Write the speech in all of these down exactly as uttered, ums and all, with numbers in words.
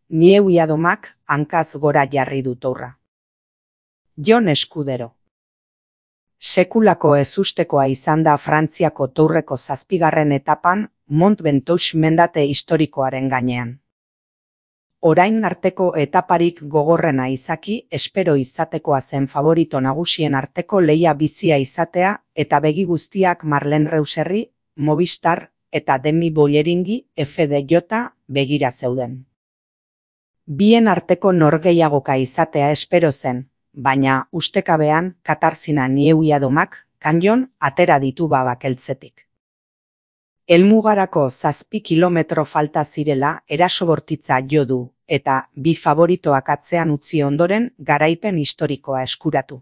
Nieuiadomak hankaz gora jarri du tourra. Jon Eskudero. Sekulako ezustekoa izan da Frantziako tourreko zazpigarren etapan Mont Ventoux mendate historikoaren gainean. Orain arteko etaparik gogorrena izaki espero izatekoa zen favorito nagusien arteko lehia bizia izatea eta begi guztiak Marlen Reusserri, Movistar eta Demi Bolleringi F D J begira zeuden. Bien arteko norgehiagoka izatea espero zen, baina ustekabean Katarzina Nieuiadomak kanjon atera ditu babakeltzetik. Helmugarako zazpi kilometro falta zirela eraso bortitza jo du eta bi favoritoak atzean utzi ondoren garaipen historikoa eskuratu.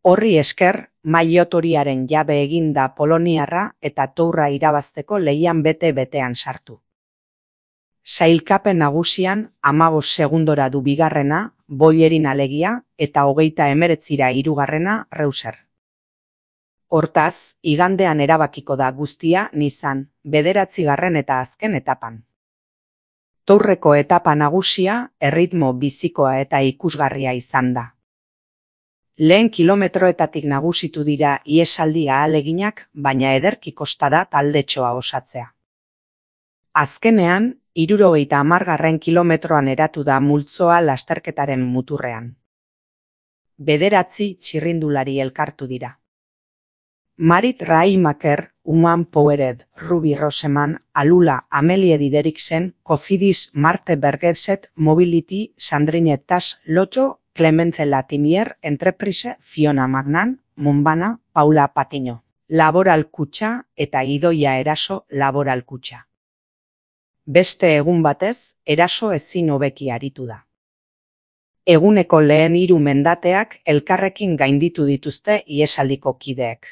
Horri esker, maillot-horiaren jabe egin da poloniarra eta tourra irabazteko lehian bete-betean sartu. Sailkapen nagusian hamabost segundora du bigarrena, Bollerin alegia, eta hogeita hemeretzira hirugarrena Reusser. Hortaz, igandean erabakiko da guztia Nizan, bederatzigarren eta azken etapan. Tourreko etapa nagusia, erritmo bizikoa eta ikusgarria izan da. Lehen kilometroetatik nagusitu dira ihesaldi ahaleginak, baina ederki kosta da taldetxoa osatzea. Azkenean, hirurogeita hamargarren kilometroan eratu da multzoa lasterketaren muturrean. Bederatzi txirrindulari elkartu dira. Marit Rahimmaker, Human Powered, Ruby Roseman, Alula, Amelie Dideriksen, Cofidis, Marte Bergeset, Mobility, Sandrine Tas, Lotto, Clemence Latimier, Entreprise, Fiona Magnan, Monbana, Paula Patiño, Laboral Kutxa eta Idoia Eraso Laboral Kutxa. Beste egun batez, Eraso ezin hobeki aritu da. Eguneko lehen hiru mendateak elkarrekin gainditu dituzte ihesaldiko kideek.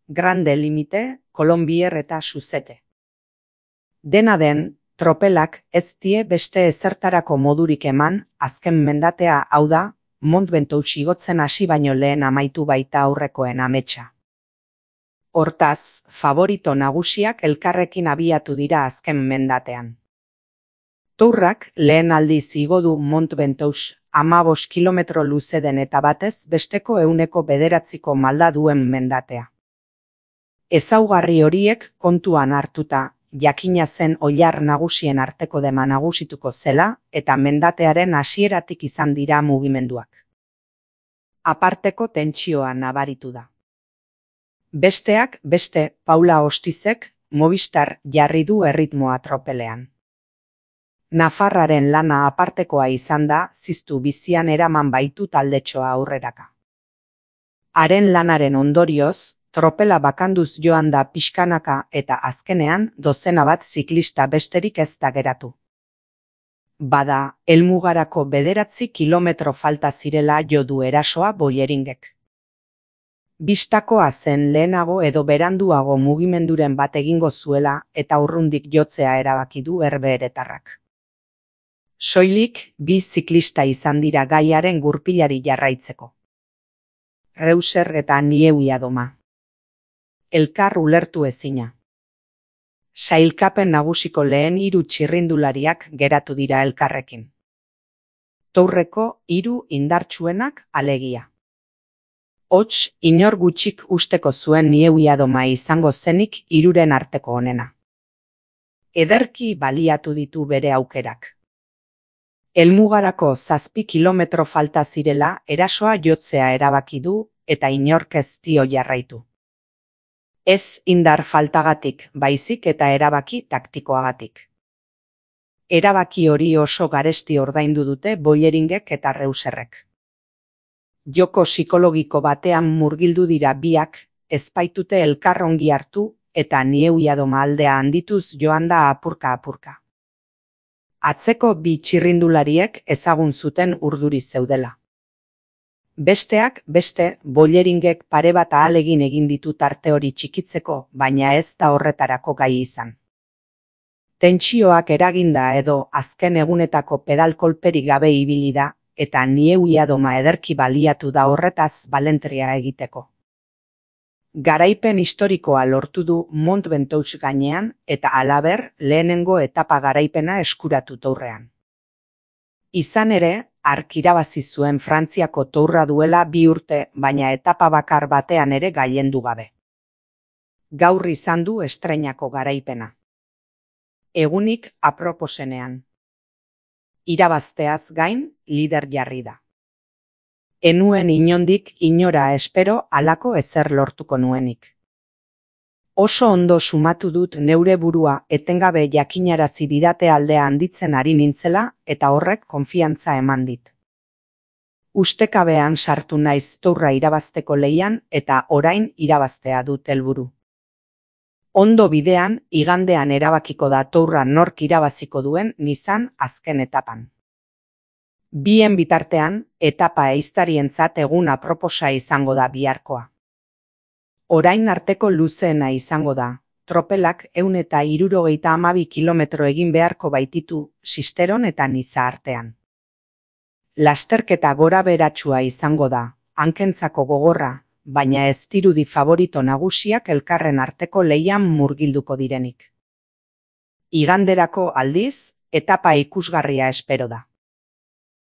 Grande Limite, Colombier eta Suzete. Dena den, tropelak ez die beste ezertarako modurik eman, azken mendatea hau da, Mont Ventoux igotzen hasi baino lehen amaitu baita aurrekoen ametsa. Hortaz, favorito nagusiak elkarrekin abiatu dira azken mendatean. Tourrak lehen aldiz igo du Mont Ventoux hamabost kilometro luze den eta batez besteko ehuneko bederatziko malda duen mendatea. Ezaugarri horiek kontuan hartuta, jakina zen oilar nagusien arteko dema nagusituko zela eta mendatearen hasieratik izan dira mugimenduak. Aparteko tentsioa nabaritu da. Besteak beste Paula Ostizek Movistar jarri du erritmoa tropelean. Nafarraren lana apartekoa izan da ziztu bizian eraman baitu taldetxoa aurreraka. Haren lanaren ondorioz, tropela bakanduz joan da pixkanaka eta azkenean dozena bat ziklista besterik ez da geratu. Bada, helmugarako bederatzi kilometro falta zirela jo du Erasoa Bolleringek. Bistakoa zen lehenago edo beranduago mugimenduren bat egingo zuela eta urrundik jotzea erabaki du herbeheretarrak. Soilik bi ziklista izan dira gaiaren gurpilari jarraitzeko. Reusser eta Nieuiadoma. Elkar ulertu ezina. Sailkapen nagusiko lehen hiru txirrindulariak geratu dira elkarrekin. Tourreko hiru indartsuenak alegia. Hots, inor gutxik usteko zuen Nieuiadoma izango zenik hiruren arteko onena. Ederki baliatu ditu bere aukerak. Helmugarako zazpi kilometro falta zirela Erasoa jotzea erabaki du eta inork ez dio jarraitu. Ez indar faltagatik, baizik eta erabaki taktikoagatik. Erabaki hori oso garesti ordaindu dute Bolleringek eta Reusserrek. Joko psikologiko batean murgildu dira biak, ezpaitute elkar ongi hartu eta Nieuiadoma aldea handituz joan da apurka-apurka. Atzeko bi txirrindulariek ezagun zuten urduri zeudela. Besteak beste, Bolleringek pare bat ahalegin egin ditu tarte hori txikitzeko, baina ez da horretarako gai izan. Tentsioak eraginda edo azken egunetako pedal kolperik gabe ibili da, eta Nieuiadoma ederki baliatu da horretaz balentria egiteko. Garaipen historikoa lortu du Mont Ventoux gainean eta halaber lehenengo etapa garaipena eskuratu tourrean. Izan ere, hark irabazi zuen Frantziako tourra duela bi urte, baina etapa bakar batean ere gailendu gabe. Gaur izan du estreinako garaipena. Egunik aproposenean. Irabazteaz gain, lider jarri da. Enuen inondik inora espero halako ezer lortuko nuenik. Oso ondo sumatu dut neure burua etengabe jakinarazi didate aldea handitzen ari nintzela eta horrek konfiantza eman dit. Ustekabean sartu naiz tourra irabazteko lehian eta orain irabaztea dut helburu. Ondo bidean, igandean erabakiko da tourra nork irabaziko duen nizan azken etapan. Bien bitartean, etapa ehiztarientzat egun aproposa izango da biharkoa. Orain arteko luzeena izango da, tropelak ehun eta hirurogeita hamabi kilometro egin beharko baititu Sisteron eta Niza artean. Lasterketa gora beratsua izango da, hankentzako gogorra, baina ez dirudi favorito nagusiak elkarren arteko lehian murgilduko direnik. Iganderako aldiz, etapa ikusgarria espero da.